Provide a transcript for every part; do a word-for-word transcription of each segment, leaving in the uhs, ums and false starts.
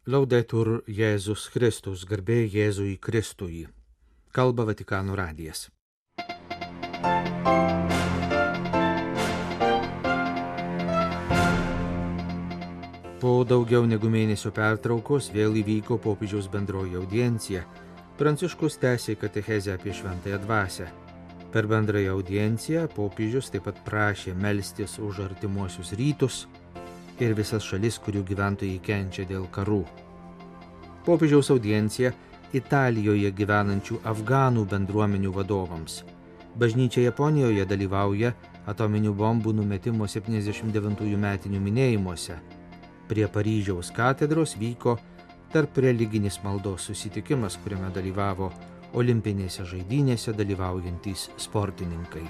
Laudetur Jėzus Kristus, garbė Jėzui Kristui. Kalba Vatikano radijas. Po daugiau negu mėnesio pertraukos vėl įvyko popiežiaus bendroji audiencija. Pranciškus tęsė katechezę apie šventąją dvasią. Per bendrąją audienciją popiežius taip pat prašė melstis už artimuosius rytus ir visas šalis, kurių gyventojai kenčia dėl karų. Popiežiaus audiencija Italijoje gyvenančių afganų bendruomenių vadovams. Bažnyčia Japonijoje dalyvauja atominių bombų numetimo septyniasdešimt devintųjų metinių minėjimuose. Prie Paryžiaus katedros vyko tarp religinis maldos susitikimas, kuriame dalyvavo olimpinėse žaidynėse dalyvaujantys sportininkai.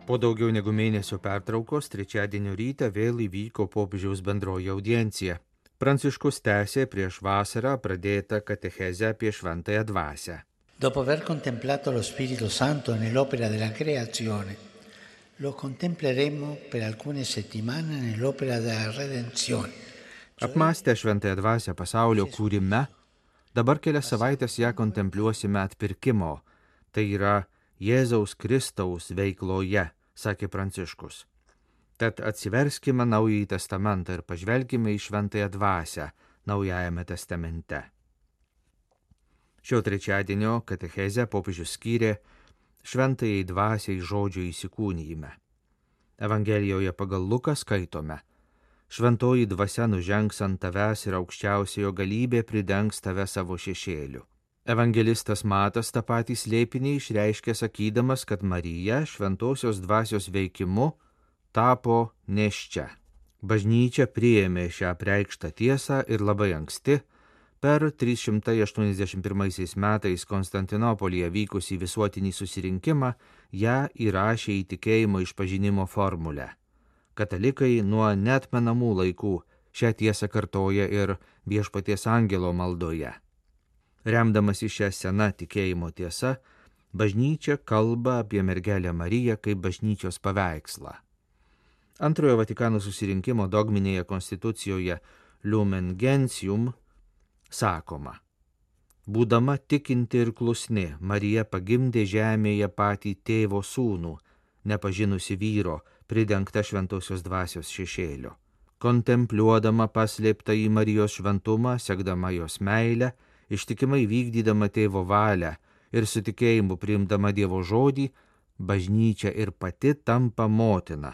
Po daugiau negu mėnesio pertraukos trečiadienio rytą vėl įvyko popiežiaus bendroji audiencija. Pranciškus tęsė prieš vasarą pradėtą katechezę apie šventąją dvasią. Dopo aver contemplato lo Spirito Santo nell'opera della creazione, lo contempleremo per alcune settimane nell'opera della redenzione. Apmąstę šventąją dvasią pasaulio kūrime, dabar kelias savaitės ją kontempliuosime atpirkimo, tai yra Jėzaus Kristaus veikloje, sakė Pranciškus. Tad atsiverskime Naująjį testamentą ir pažvelkime į šventąją dvasią Naujajame testamente. Šio trečiadienio katechezę popiežius skyrė šventajai dvasiai žodžio įsikūnijime. Evangelijoje pagal Luką skaitome: šventoji dvasia nužengs ant tavęs ir aukščiausiojo galybė pridengs tave savo šešėliu. Evangelistas Matas tą patį slėpinį išreiškė sakydamas, kad Marija šventosios dvasios veikimu tapo nėščia. Bažnyčia priėmė šią apreikštą tiesą ir labai anksti, per trys šimtai aštuoniasdešimt pirmaisiais metais Konstantinopolyje vykusį visuotinį susirinkimą, ją įrašė į tikėjimo išpažinimo formulę. Katalikai nuo neatmenamų laikų šią tiesą kartoja ir Viešpaties angelo maldoje. Remdamas į šią seną tikėjimo tiesą, bažnyčia kalba apie mergelę Mariją kaip bažnyčios paveikslą. Antrojo Vatikano susirinkimo dogminėje konstitucijoje Lumen Gentium sakoma: būdama tikinti ir klusni, Marija pagimdė žemėje patį tėvo sūnų, nepažinusi vyro, pridengta šventosios dvasios šešėlio. Kontempliuodama paslėptą į Marijos šventumą, sekdama jos meilę, ištikimai vykdydama tėvo valią ir su tikėjimu priimdama Dievo žodį, bažnyčia ir pati tampa motina,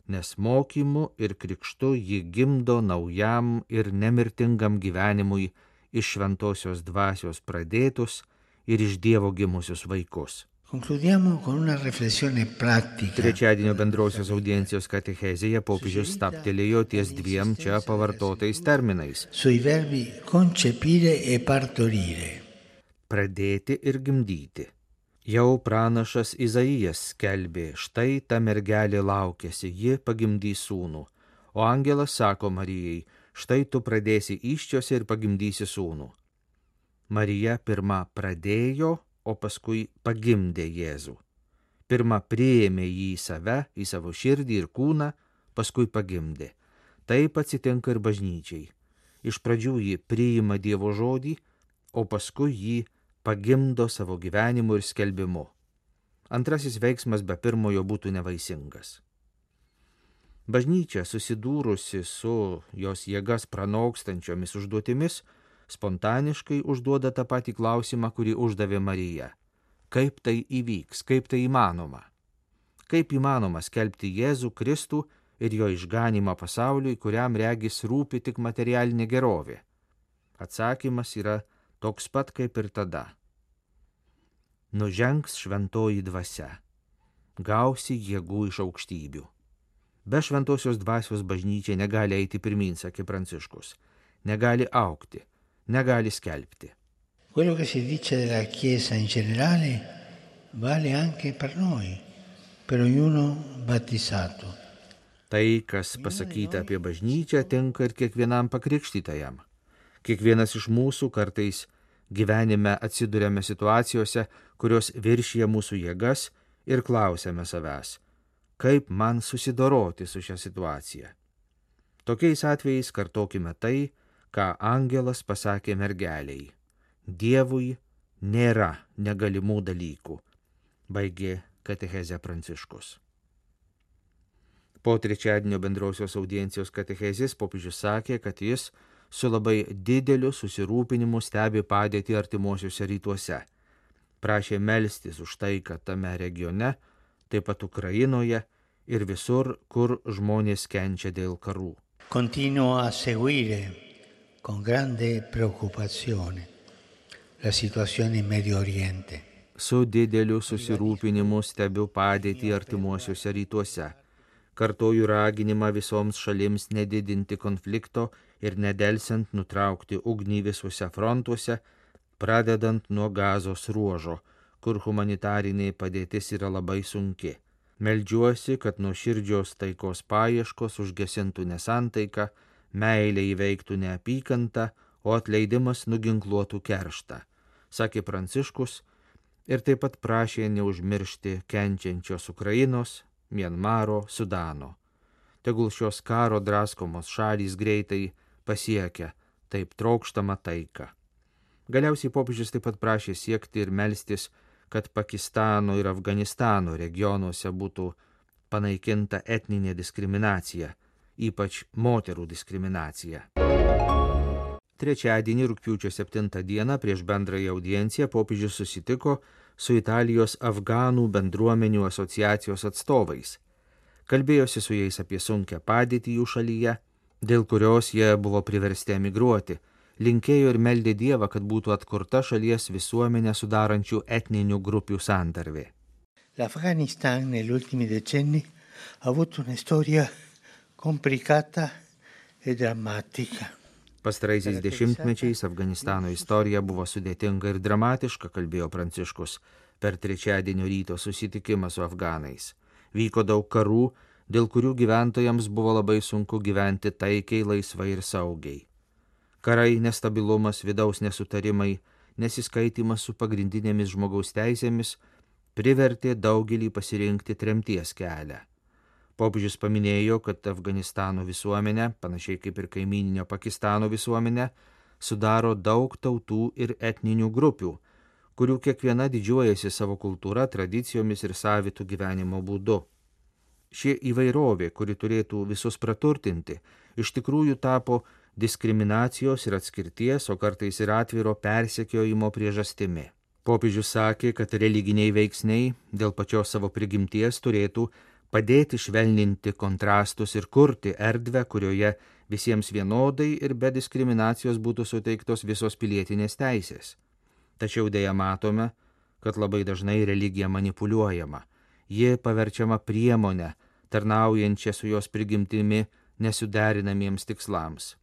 nes mokymu ir krikštu ji gimdo naujam ir nemirtingam gyvenimui iš šventosios dvasios pradėtus ir iš Dievo gimusius vaikus. Concludiamo con una riflessione pratica. Trečiadienio bendrosios audiencijos katechezėje popiežius stabtelėjo ties dviem čia pavartotais terminais. Sui verbi concepire e partorire. Pradėti ir gimdyti. Jau pranašas Izaijas skelbė: štai ta mergelė laukiasi, ji pagimdys sūnų. O angelas sako Marijai: štai tu pradėsi įsčiose ir pagimdysi sūnų. Marija pirma pradėjo, o paskui pagimdė Jėzų. Pirma priėmė jį į save, į savo širdį ir kūną, paskui pagimdė. Taip atsitinka ir bažnyčiai. Iš pradžių ji priima Dievo žodį, o paskui jį pagimdo savo gyvenimu ir skelbimu. Antrasis veiksmas be pirmojo būtų nevaisingas. Bažnyčia, susidūrusi su jos jėgas pranokstančiomis užduotimis, spontaniškai užduoda tą patį klausimą, kurį uždavė Marija. Kaip tai įvyks, kaip tai įmanoma? Kaip įmanoma skelbti Jėzų Kristų ir jo išganymą pasauliui, kuriam regis rūpi tik materialinė gerovė? Atsakymas yra toks pat kaip ir tada. Nužengs šventoji dvasia, gausi jėgų iš aukštybių. Be šventosios dvasios bažnyčia negali eiti pirmyn, sakė Pranciškus, negali augti, negali skelbti. Quello che si dice della Chiesa in generale vale anche per noi, per ognuno battezzato. Tai, kas pasakyta apie bažnyčią, tinka ir kiekvienam pakrikštytajam. Kiekvienas iš mūsų kartais gyvenime atsiduriame situacijose, kurios viršija mūsų jėgas ir klausiame savęs, kaip man susidoroti su šią situaciją. Tokiais atvejais kartokime tai, ką angelas pasakė mergeliai. Dievui nėra negalimų dalykų, baigė katechezę Pranciškus. Po trečiadienio bendrosios audiencijos katechezės popiežius sakė, kad jis su labai dideliu susirūpinimu stebi padėtį artimuosiuose rytuose. Prašė melstis už taiką tame regione, taip pat Ukrainoje ir visur, kur žmonės kenčia dėl karų. Continuo a seguire con grande preoccupazione la situazione in Medio Oriente. Su dideliu susirūpinimu stebiu padėtį artimuosiuose rytuose. Kartoju raginimą visoms šalims nedidinti konflikto ir nedelsiant nutraukti ugnį visuose frontuose, pradedant nuo Gazos ruožo, kur humanitarinė padėtis yra labai sunki. Meldžiuosi, kad nuoširdžios taikos paieškos užgesintų nesantaiką, meilė įveiktų neapykantą, o atleidimas nuginkluotų kerštą, sakė Pranciškus ir taip pat prašė neužmiršti kenčiančios Ukrainos, Mianmaro, Sudano. Tegul šios karo draskomos šalys greitai pasiekia taip trokštamą taiką. Galiausiai popiežius taip pat prašė siekti ir melstis, kad Pakistano ir Afganistano regionuose būtų panaikinta etninė diskriminacija, ypač moterų diskriminacija. Trečiadienį rugpjūčio septintą dieną prieš bendrąją audienciją popiežius susitiko su Italijos afganų bendruomenių asociacijos atstovais. Kalbėjosi su jais apie sunkią padėtį jų šalyje, dėl kurios jie buvo priversti emigruoti, linkėjo ir meldė Dievą, kad būtų atkurta šalies visuomenę sudarančių etninių grupių santarvė. L'Afghanistan negli ultimi decenni ha avuto una storia complicata e drammatica. Pastaraisiais dešimtmečiais Afganistano istorija buvo sudėtinga ir dramatiška, kalbėjo Pranciškus per trečiadienio ryto susitikimą su afganais. Vyko daug karų, dėl kurių gyventojams buvo labai sunku gyventi taikiai, laisvai ir saugiai. Karai, nestabilumas, vidaus nesutarimai, nesiskaitimas su pagrindinėmis žmogaus teisėmis privertė daugelį pasirinkti tremties kelią. Popiežius paminėjo, kad Afganistano visuomenė, panašiai kaip ir kaimyninio Pakistano visuomenė, sudaro daug tautų ir etninių grupių, kurių kiekviena didžiuojasi savo kultūra, tradicijomis ir savitų gyvenimo būdu. Ši įvairovė, kuri turėtų visus praturtinti, iš tikrųjų tapo diskriminacijos ir atskirties, o kartais ir atviro persekiojimo priežastimi. Popiežius sakė, kad religiniai veiksniai dėl pačios savo prigimties turėtų padėti švelninti kontrastus ir kurti erdvę, kurioje visiems vienodai ir be diskriminacijos būtų suteiktos visos pilietinės teisės. Tačiau dėja matome, kad labai dažnai religija manipuliuojama. Ji paverčiama priemonę, tarnaujančią su jos prigimtimi nesuderinamiems tikslams.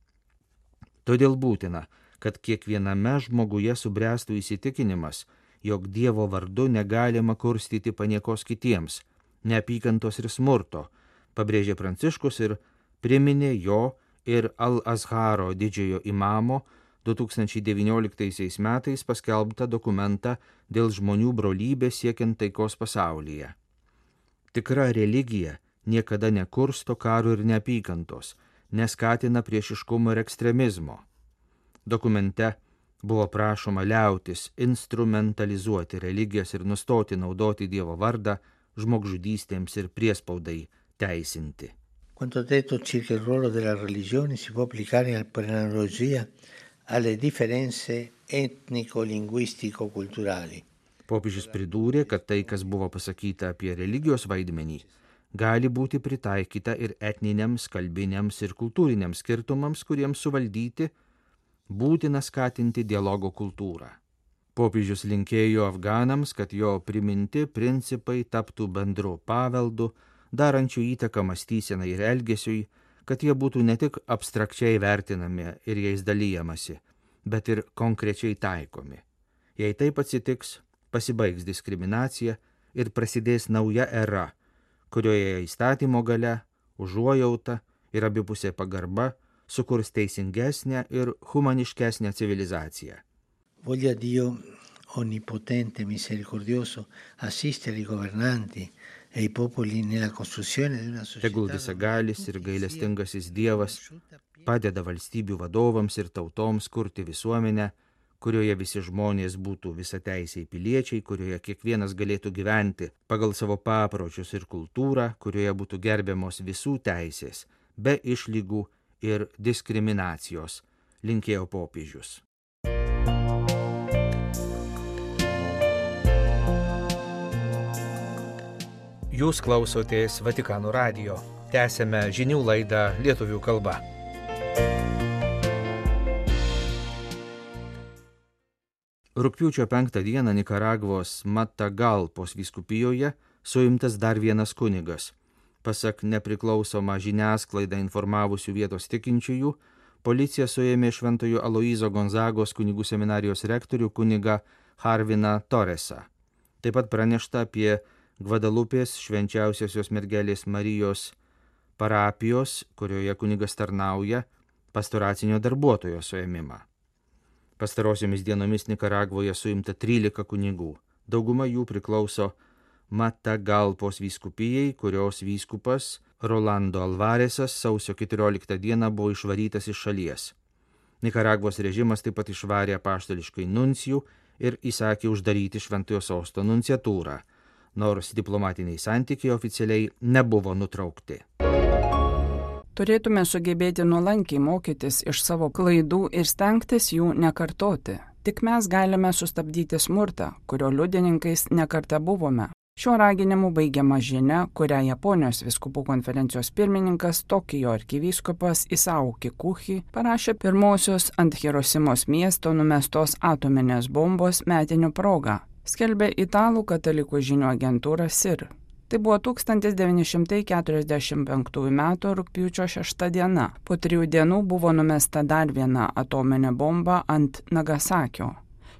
Todėl būtina, kad kiekviename žmoguje subręstų įsitikinimas, jog Dievo vardu negalima kurstyti paniekos kitiems, neapykantos ir smurto, pabrėžė Pranciškus ir priminė jo ir Al-Azharo didžiojo imamo du tūkstančiai devynioliktaisiais metais paskelbtą dokumentą dėl žmonių brolybės siekiant taikos pasaulyje. Tikra religija niekada nekursto karo ir neapykantos, neskatina priešiškumo ir ekstremizmo. Dokumente buvo prašoma liautis instrumentalizuoti religijas ir nustoti naudoti Dievo vardą žmogžudystėms ir priespaudai teisinti. Quanto detto circa il ruolo della religione si può applicare per analogia alle differenze etnico-linguistico-culturali. Popiežius pridūrė, kad tai, kas buvo pasakyta apie religijos vaidmenį, gali būti pritaikyta ir etniniams, kalbiniams ir kultūriniams skirtumams, kuriems suvaldyti būtina skatinti dialogo kultūrą. Popiežius linkėjo afganams, kad jo priminti principai taptų bendru paveldu, darančių įtaką mąstysenai ir elgesiui, kad jie būtų ne tik abstrakčiai vertinami ir jais dalyjamasi, bet ir konkrečiai taikomi. Jei taip atsitiks, pasibaigs diskriminacija ir prasidės nauja era, kurioje įstatymo galia, užuojauta ir abipusė pagarba sukurs teisingesnę ir humaniškesnę civilizaciją. Voglia Dio onnipotente, misericordioso, assistere i governanti e i popoli nella costruzione di una Tegul società visagalis ir gailestingasis Dievas padeda valstybių vadovams ir tautoms kurti visuomenę, kurioje visi žmonės būtų visateisiai piliečiai, kurioje kiekvienas galėtų gyventi pagal savo papročius ir kultūrą, kurioje būtų gerbiamos visų teisės, be išlygų ir diskriminacijos, linkėjo popiežius. Jūs klausotės Vatikano radijo. Tęsėme žinių laidą lietuvių kalba. Rugpjūčio penktą dieną Nikaragvos Matagalpos vyskupijoje suimtas dar vienas kunigas. Pasak nepriklausomą žiniasklaidą informavusių vietos tikinčiųjų, policija suėmė Šventojo Aloyzo Gonzagos kunigų seminarijos rektorių kunigą Harviną Torresą. Taip pat pranešta apie Gvadalupės švenčiausiosios mergelės Marijos parapijos, kurioje kunigas tarnauja, pastoracinio darbuotojo suėmimą. Pastarosiomis dienomis Nikaragvoje suimta trylika kunigų. Dauguma jų priklauso Matagalpos vyskupijai, kurios vyskupas Rolando Alvaresas sausio keturioliktą dieną buvo išvarytas iš šalies. Nikaragvos režimas taip pat išvarė apaštališkai nuncijų ir įsakė uždaryti Šventojo Sosto nunciatūrą, nors diplomatiniai santykiai oficialiai nebuvo nutraukti. Turėtume sugebėti nuolankiai mokytis iš savo klaidų ir stengtis jų nekartoti. Tik mes galime sustabdyti smurtą, kurio liudininkais nekartą buvome. Šiuo raginimu baigiama žinia, kurią Japonijos vyskupų konferencijos pirmininkas Tokijo arkivyskupas Isao Kikuchi parašė pirmosios ant Hirosimos miesto numestos atominės bombos metinių proga, skelbė italų katalikų žinių agentūra S I R. Tai buvo tūkstantis devyni šimtai keturiasdešimt penktųjų metų rugpjūčio šešta diena. Po trijų dienų buvo numesta dar viena atominė bomba ant Nagasakio.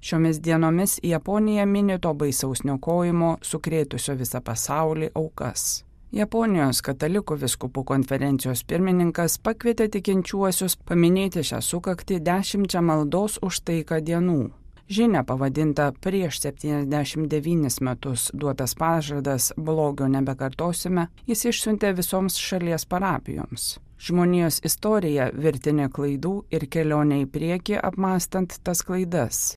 Šiomis dienomis Japonija mini to baisaus niokojimo sukrėtusio visą pasaulį aukas. Japonijos katalikų vyskupų konferencijos pirmininkas pakvietė tikinčiuosius paminėti šią sukaktį dešimčia maldos už taiką dienų. Žinia pavadinta prieš septyniasdešimt devynis metus duotas pažadas blogio nebekartosime, jis išsiuntė visoms šalies parapijoms. Žmonijos istorija virtinė klaidų ir kelionė į priekį apmąstant tas klaidas.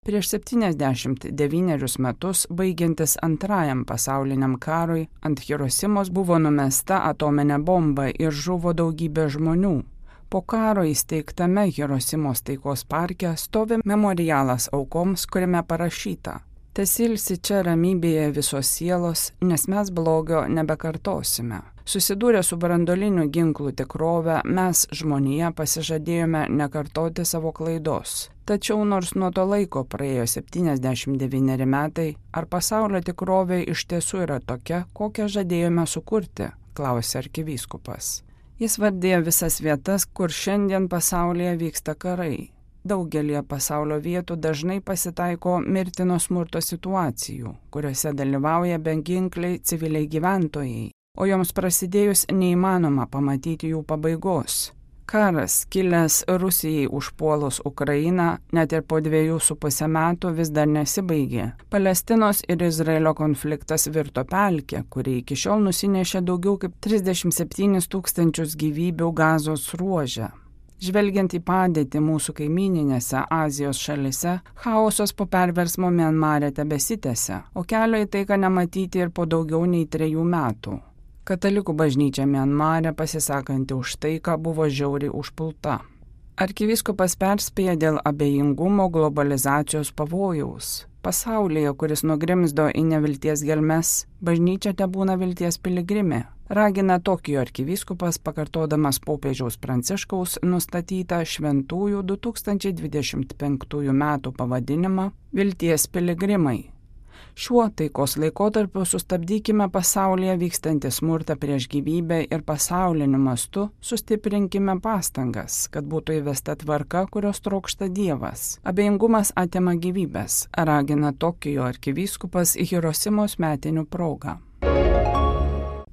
Prieš septyniasdešimt devynerius metus, baigiantis antrajam pasauliniam karui, ant Hirosimos buvo numesta atominė bomba ir žuvo daugybė žmonių. Po karo įsteigtame Hirosimos taikos parke stovi memorialas aukoms, kuriame parašyta: Tesilsi čia ramybėje visos sielos, nes mes blogio nebekartosime. Susidūrę su branduolinių ginklų tikrove, mes žmonija pasižadėjome nekartoti savo klaidos. Tačiau nors nuo to laiko praėjo septyniasdešimt devyneri metai, ar pasaulio tikrovė iš tiesų yra tokia, kokią žadėjome sukurti, klausė arkivyskupas. Jis vardėjo visas vietas, kur šiandien pasaulyje vyksta karai. Daugelie pasaulio vietų dažnai pasitaiko mirtino smurto situacijų, kuriuose dalyvauja beginkliai civiliai gyventojai, o joms prasidėjus neįmanoma pamatyti jų pabaigos. Karas, kilęs Rusijai užpuolus Ukrainą, net ir po dviejų su pusę metų vis dar nesibaigė. Palestinos ir Izraelio konfliktas virto pelkę, kuri iki šiol nusinešė daugiau kaip trisdešimt septynis tūkstančius gyvybių Gazos ruože. Žvelgiant į padėtį mūsų kaimyninėse Azijos šalise, chaosas po perversmo Mianmare tebesitęsia, o kelio į taiką nematyti ir po daugiau nei trejų metų. Katalikų bažnyčia Mianmare, pasisakanti už taiką, buvo žiauriai užpulta. Arkivyskupas perspėja dėl abejingumo globalizacijos pavojaus. Pasaulyje, kuris nugrimzdo į nevilties gelmes, bažnyčia tebūna vilties piligrimė. Ragina Tokijo arkivyskupas, pakartodamas popiežiaus Pranciškaus nustatytą šventųjų du tūkstančiai dvidešimt penktųjų metų pavadinimą Vilties piligrimai. Šiuo taikos laikotarpiu sustabdykime pasaulyje vykstantį smurtą prieš gyvybę ir pasauliniu mastu sustiprinkime pastangas, kad būtų įvesta tvarka, kurios trokšta Dievas. Abejingumas atima gyvybės, ragina Tokijo arkivyskupas Hirosimos metinių proga.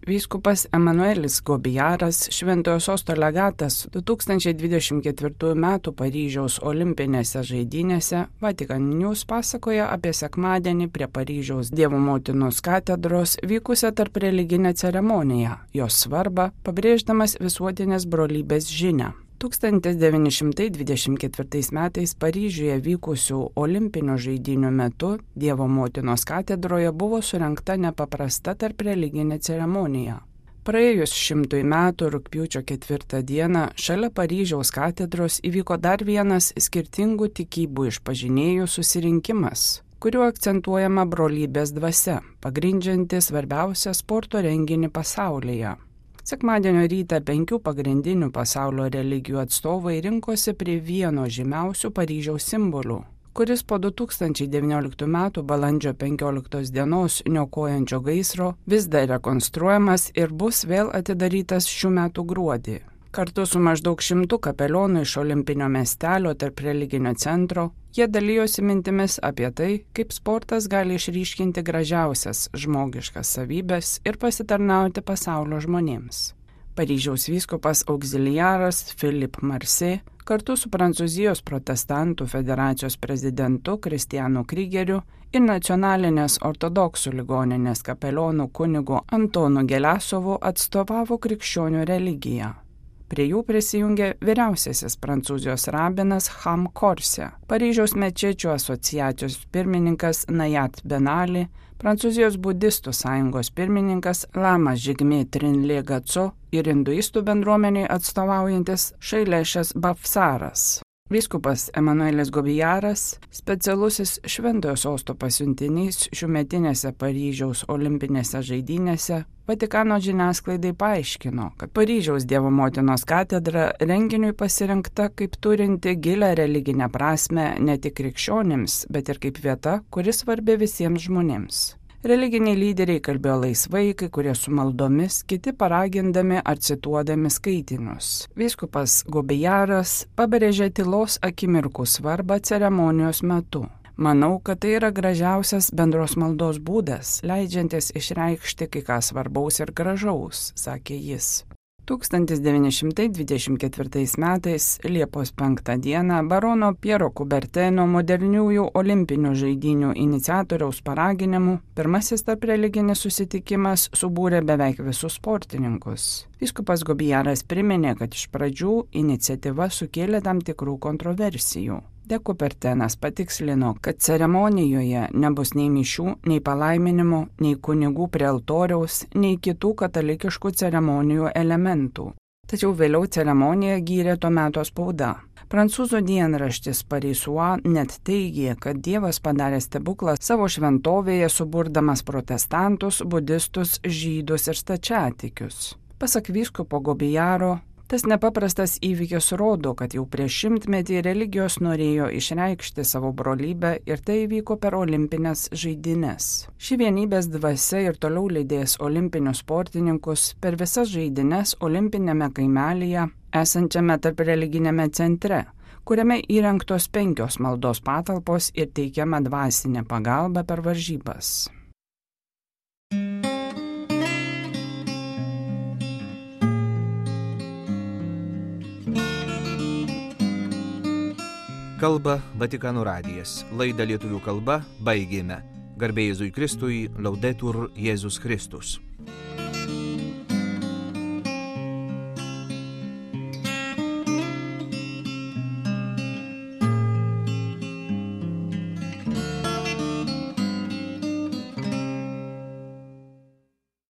Vyskupas Emanuelis Gobijaras, Šventojo Sosto legatas du tūkstančiai dvidešimt ketvirtųjų metų Paryžiaus olimpinėse žaidynėse Vatikan News pasakoja apie sekmadienį prie Paryžiaus Dievo motinos katedros vykusią tarp religinę ceremoniją, jos svarbą, pabrėždamas visuotinės brolybės žinią. tūkstantis devyni šimtai dvidešimt ketvirtais metais Paryžiuje vykusių olimpinių žaidynių metu Dievo motinos katedroje buvo surengta nepaprasta tarp religinė ceremonija. Praėjus šimtui metų rugpjūčio ketvirtą dieną šalia Paryžiaus katedros įvyko dar vienas skirtingų tikybų išpažinėjų susirinkimas, kuriuo akcentuojama brolybės dvasia, pagrindžianti svarbiausią sporto renginį pasaulyje. Sekmadienio rytą penkių pagrindinių pasaulio religijų atstovai rinkosi prie vieno žymiausių Paryžiaus simbolių, kuris po du tūkstančiai devynioliktų metų balandžio penkioliktos dienos niokojančio gaisro vis dar rekonstruojamas ir bus vėl atidarytas šių metų gruodį. Kartu su maždaug šimtu kapelionų iš olimpinio miestelio tarp religinio centro, jie dalijosi mintimis apie tai, kaip sportas gali išryškinti gražiausias žmogiškas savybes ir pasitarnauti pasaulio žmonėms. Paryžiaus vyskupas auxiliaras Philippe Marseille kartu su Prancūzijos protestantų federacijos prezidentu Kristianu Krygeriu ir nacionalinės ortodoksų ligoninės kapelionų kunigu Antonu Gelesovu atstovavo krikščionių religiją. Prie jų prisijungė vyriausiasis Prancūzijos rabinas Ham Korse, Paryžiaus mečečių asociacijos pirmininkas Najat Benali, Prancūzijos budistų sąjungos pirmininkas Lama Žigmė Trinlė Gaco ir hinduistų bendruomeniai atstovaujantis Šailešas Bafsaras. Vyskupas Emanuelis Gobijaras, specialusis Šventojo Sosto pasiuntinys šiųmetinėse Paryžiaus olimpinėse žaidynėse, Vatikano žiniasklaidai paaiškino, kad Paryžiaus Dievo motinos katedra renginiui pasirinkta kaip turinti gilią religinę prasmę ne tik krikščionims, bet ir kaip vieta, kuri svarbi visiems žmonėms. Religiniai lyderiai kalbėjo laisvai, kai kurie su maldomis, kiti paragindami ar cituodami skaitinius. Vyskupas Gobijaras pabrėžė tylos akimirkų svarbą ceremonijos metu. Manau, kad tai yra gražiausias bendros maldos būdas, leidžiantis išreikšti kai ką svarbaus ir gražaus, sakė jis. tūkstantis devyni šimtai dvidešimt ketvirtais metais Liepos penktą dieną barono Piero Kuberteno moderniųjų olimpinių žaidynių iniciatoriaus paraginimu pirmasis tarp religinis susitikimas subūrė beveik visus sportininkus. Vyskupas Gobijaras priminė, kad iš pradžių iniciatyva sukėlė tam tikrų kontroversijų. De Kubertenas patikslino, kad ceremonijoje nebus nei mišių, nei palaiminimo, nei kunigų prie altoriaus, nei kitų katalikiškų ceremonijų elementų. Tačiau vėliau ceremoniją gyrė to meto spauda. Prancūzų dienraštis Parisua net teigė, kad Dievas padarė stebuklą savo šventovėje suburdamas protestantus, budistus, žydus ir stačiatikius. Pasak vyskupo Gobijaro, tas nepaprastas įvykis rodo, kad jau prieš šimtmetį religijos norėjo išreikšti savo brolybę ir tai įvyko per olimpinės žaidynes. Ši vienybės dvasia ir toliau lydės olimpinius sportininkus per visas žaidynes olimpinėme kaimelyje, esančiame tarp religinėme centre, kuriame įrengtos penkios maldos patalpos ir teikiama dvasinė pagalba per varžybas. Kalba Vatikano radijas. Laidą lietuvių kalba baigėme. Garbė Jėzui Kristui, Laudetur Jėzus Kristus.